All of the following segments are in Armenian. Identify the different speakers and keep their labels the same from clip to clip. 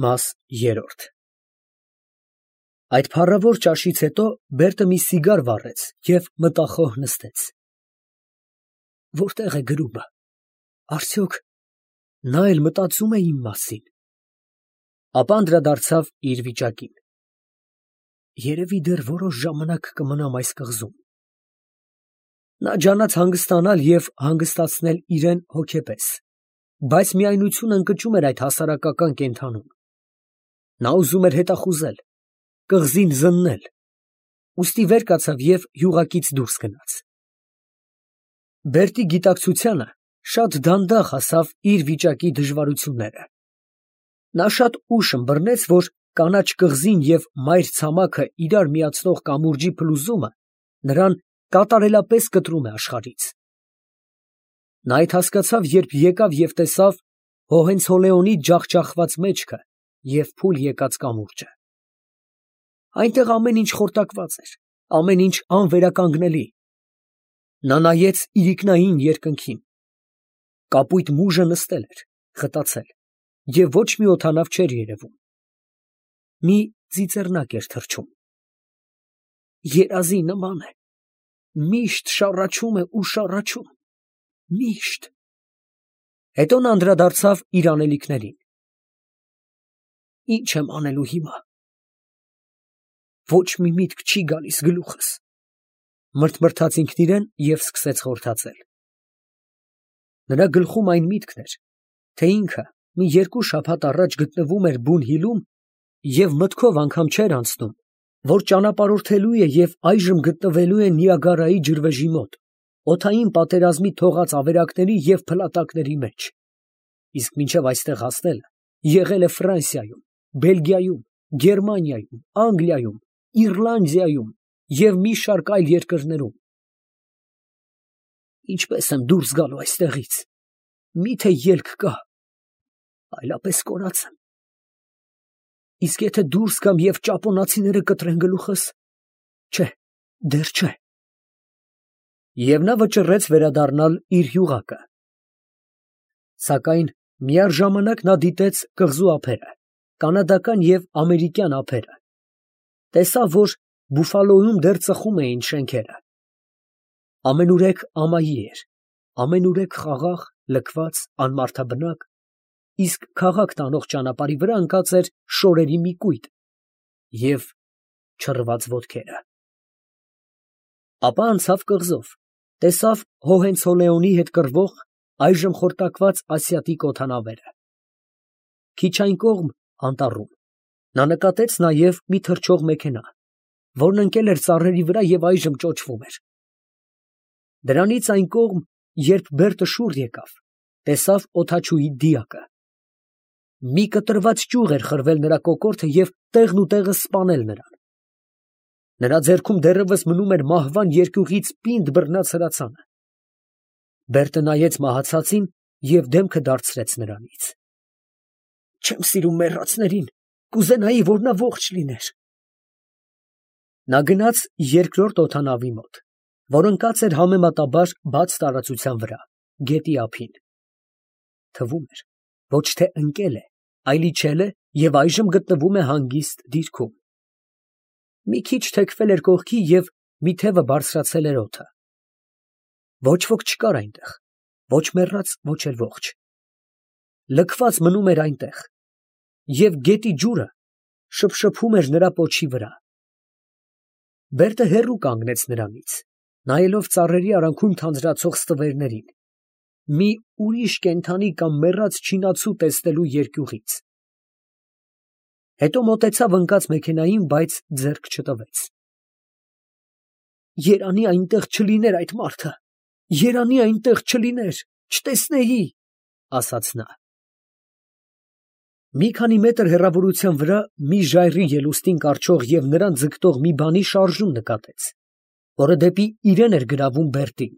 Speaker 1: Մաս 3 Այդ փառավոր ճաշից հետո Բերտը մի սիգար վառեց և մտախոհ նստեց։ Որտե՞ղ է գրումը, արդյոք նա էլ մտածում է իմ մասին։ Ապա անդրադարձավ իր վիճակին։ Երևի դեռ որոշ ժամանակ կմնամ այս կղզում։ Նա ջանաց հանգստանալ և հանգստացնել իրեն հոգեպես, բայց միայնությունը ընկճում էր այդ հասարակական կենդանում։ Նա ուզում էր հետախուզել, կղզին զննել, ուստի վեր կացավ և յուղակից դուրս գնաց։ Բերտի գիտակցությանը շատ դանդաղ հասավ իր վիճակի դժվարությունները։ Նա շատ ուշ ըմբռնեց, որ կանաչ կղզին և մայր ցամաքը իրար միացնող կամուրջի փլուզումը նրան կատարելապես կտրում է աշխարհից։ Նա այդ հասկացավ, երբ եկավ և տեսավ Հոհենցոլեոնի ջախջախված մեջքը և փուլ եկած կամուրջը։ Այնտեղ ամեն ինչ խորտակված էր, ամեն ինչ անվերականգնելի։ Նա նայեց իրիկնային երկնքին։ Կապույտ մուժը նստել էր, խտացել, և ոչ մի օդանավ չէր երևում։ Մի ծիծեռնակ էր թռչում։ Երազի նման է, միշտ շառաչում է ու շառաչում, միշտ։ Հետո նա անդրադարձավ իր անելիքներին։ Ի՞նչ եմ անելու հիմա։ Ոչ մի միտք չի գալիս գլուխս, մրթմրթաց ինքն իրան և սկսեց խորթացել։ Նրա գլխում այն միտքն էր, թե ինքը մի 2 շաբաթ առաջ գտնվում էր բուն հիլում և մտքով անգամ չէր անցնում, որ ճանապարհորդելու է և այժմ գտնվելու է Նիագարայի ջրվեժի մոտ, օդային պատերազմի թողած ավերակների և փլատակների մեջ, իսկ մինչև այստեղ հասնելը եղել է Ֆրանսիայում, Բելգիայում, Գերմանիայում, Անգլիայում, Իռլանդիայում և մի շարք այլ երկրներում։ Ինչպե՞ս եմ դուրս գալու այստեղից, մի՞թե ելք կա, այլապես կորած եմ։ Իսկ եթե դուրս գամ և ճապոնացիները կտրեն գլուխս, չէ, դեռ չէ։ Եվ նա վճռեց վերադառնալ իր յուղակը։ Սակայն միաժամանակ նա դիտեց կղզու ափերը, կանադական և ամերիկյան ափերը, տեսավ, որ Բուֆալոյում դեռ ծխում էին շենքերը։ Ամենուրեք ամայի էր, ամենուրեք խաղաղ, լքված, անմարդաբնակ, իսկ քաղաք տանող ճանապարհի վրա ընկած էր շորերի մի կույտ և չռված ոտքերը։ Ապա անցավ կղզով, տեսավ Հոհենցոլեոնի հետ կռվող, այժմ խորտակված ասիատիկ օդանավերը։ Քիչ այն կողմ, անտառում, նա նկատեց նաև մի թռչող մեքենա, որն ընկել էր ծառերի վրա և այժմ ճոճվում էր։ Դրանից այն կողմ, երբ Բերտը շուռ եկավ, տեսավ օդաչուի դիակը։ Մի կտրված ճյուղ էր խրվել նրա կոկորդը և տեղնուտեղը սպանել նրան։ Նրա ձեռքում դեռևս մնում էր մահվան երկյուղից պինդ բռնած հրացանը։ Բերտը նայեց մահացածին և դեմքը դարձրեց նրանից։ Չեմ սիրում մեռածներին, կուզենայի, որ նա ողջ լիներ։ Նա գնաց երկրորդ օդանավի մոտ, որ ընկած էր համեմատաբար բաց տարածության վրա, գետի ափին։ Թվում էր, ոչ թե ընկել է, այլ իջել է և այժմ գտնվում է հանգիստ դիրքում։ Մի քիչ թեքվել էր կողքի և մի թևը բարձրացել էր օդը։ Ոչ ոք չկար այնտեղ, ոչ մեռած, ոչ էլ ողջ։ Լքված մնում էր այնտեղ, և գետի ջուրը շփշփում էր նրա պոչի վրա։ Բերտը հեռու կանգնեց նրանից, նայելով ծառերի արանքում թանձրացող ստվերներին, մի ուրիշ կենդանի կամ մեռած չինացու տեսնելու երկյուղից։ Հետո մոտեցավ ընկած մեքենային, բայց ձեռք չտվեց։ Երանի այնտեղ չլիներ այդ մարդը, երանի այնտեղ չլիներ, չտեսնեի, ասաց նա։ Մի քանի մետր հեռավորության վրա մի ժայռի ելուստին կառչող և նրան ձգտող մի բանի շարժում նկատեց, որը դեպի իրեն էր գրավում Բերտին։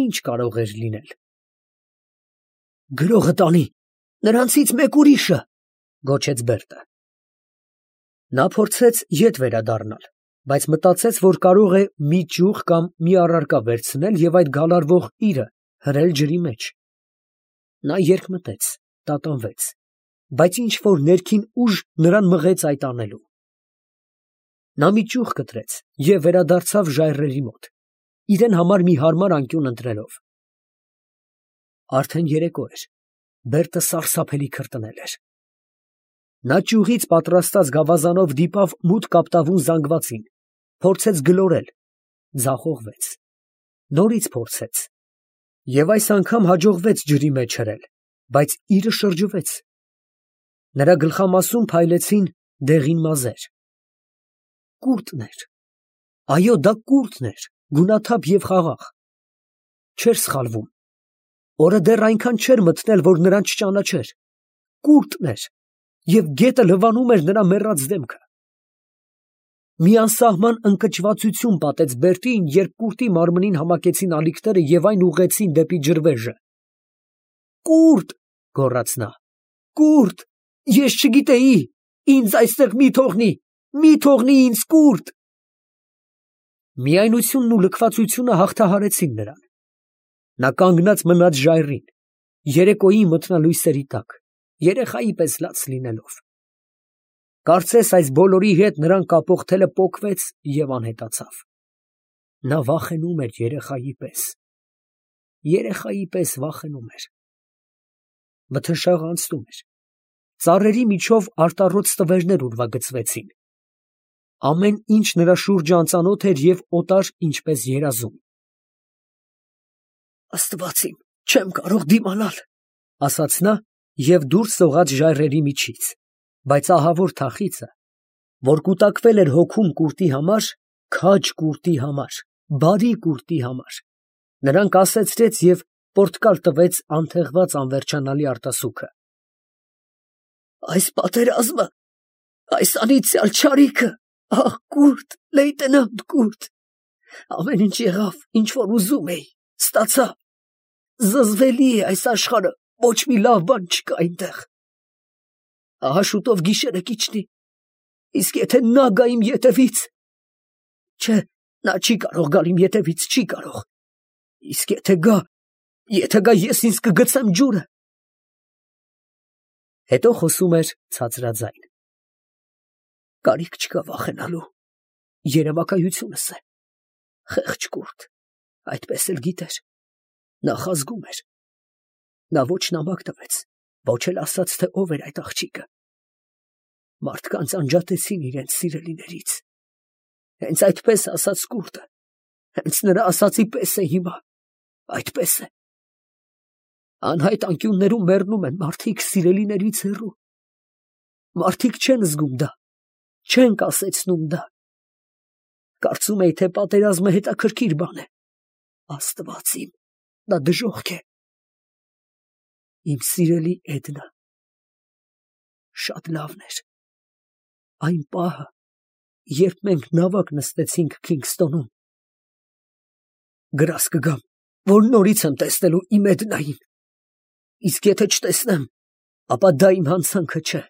Speaker 1: Ինչ կարող էր լինել։ Գրողը տանի, նրանցից մեկ ուրիշը, գոչեց Բերտը։ Նա փորձեց ետ վերադառնալ, բայց մտածեց, որ կարող է մի ճյուղ կամ մի առարկա վերցնել և այդ գալարվող իրը հրել ջրի մեջ։ Նա երկմտեց, տատանվեց, բայց ինչ որ ներքին ուժ նրան մղեց այդ անելու։ Նա մի ճյուղ կտրեց և վերադարձավ ժայռերի մոտ, իրեն համար մի հարմար անկյուն ընտրելով։ Արդեն երեկո էր, Բերտը սարսափելի քրտնել էր։ Նա ճյուղից պատրաստած գավազանով դիպավ մութ կապտավուն զանգվածին, փորձեց գլորել, ձախողվեց, նորից փորձեց, և այս անգամ հաջողվեց ջրի մեջ հրել, բայց իրը շրջվեց։ Նրա գլխամասում փայլեցին դեղին մազեր։ Կուրտն էր, այո, դա կուրտն էր, գունաթափ և խաղաղ։ Չէր սխալվում, օրը դեռ այնքան չէր մթնել, որ նրան չճանաչեր։ Կուրտն էր, և գետը լվանում էր նրա մեռած դեմքը։ Մի անսահման ընկճվածություն պատեց Բերտին, երբ կուրտի մարմնին համակեցին ալիքները և այն ուղղեցին դեպի ջրվեժը։ «Կուրտ», գոռաց նա, «կուրտ, ես չգիտեի, ինձ այստեղ մի թողնի ինձ, կուրտ»։ Միայնությունն ու լքվածությունը հաղթահարեցին նրան։ Նա կանգնած մնաց ժայռին, երեկոյի մթնալույսերի տակ, երեխայի պես լաց լինելով։ Կարծես այս բոլորի հետ նրան կապող թելը պոկվեց և անհետացավ։ Նա վախենում էր երեխայի պես վախենում էր։ Մթնշաղը անցնում էր, ծառերի միջով արտառոց տվերներ ուրվագծվեցին։ Ամեն ինչ նրա շուրջը անծանոթ էր և օտար, ինչպես երազում։ «Աստված իմ, չեմ կարող դիմանալ», ասաց նա և դուրս սողաց ժայռերի միջից, բայց ահավոր թախիծը, որ կուտակվել էր հոգում կուրտի համար, քաջ կուրտի համար, բարի կուրտի համար, նրան կասեցրեց և պորտկալ տվեց անթեղված անվերջանալի արտասուքը։ «Այս պատերազմը, այս անիծյալ չարիքը, ահ, կուրտ, լեյտենանտ Կուրտ, ամեն ինչ եղավ, ինչ որ ուզում էի, ստացա, զզվելի է այս աշխարհը, ոչ մի լավ բան չկա այնտեղ։ Ահա շուտով գիշերը կիջնի, իսկ եթե նա գա իմ ետևից… Չէ, նա չի կարող գալ իմ ետևից, չի կարող… Իսկ եթե գա, ես ինձ կգցեմ ջուրը»։ Հետո խոսում էր ցածրաձայն. «Կարիք չկա վախենալու, երևակայությունս է… Խեղճ կուրտ, այդպես էլ գիտեր, նախազգում էր… Նա ոչ նամակ տվեց, ոչ էլ ասաց, թե ով էր այդ աղջիկը… Մարդկանց անջատեցին իրենց սիրելիներից… Հենց այդպես է ասաց կուրտը, հենց նրա ասածի պես է հիմա… Այդպես է… Անհայտ անկյուններում մեռնում են մարդիկ սիրելիներից հեռու… Մարդիկ չեն զգում դա, չեն կասեցնում դա… Կարծում էի, թե պատերազմը հետաքրքիր բան է… Աստված իմ, դա դժոխք է… Իմ սիրելի Էդնա… Շատ լավն էր… Այն պահը, երբ մենք նավակ նստեցինք Քինգսթոնում… Գրազ կգամ, որ նորից եմ տեսնելու իմ Էդնային… Իսկ եթե չտեսնեմ, ապա դա իմ հանցանքը չէ…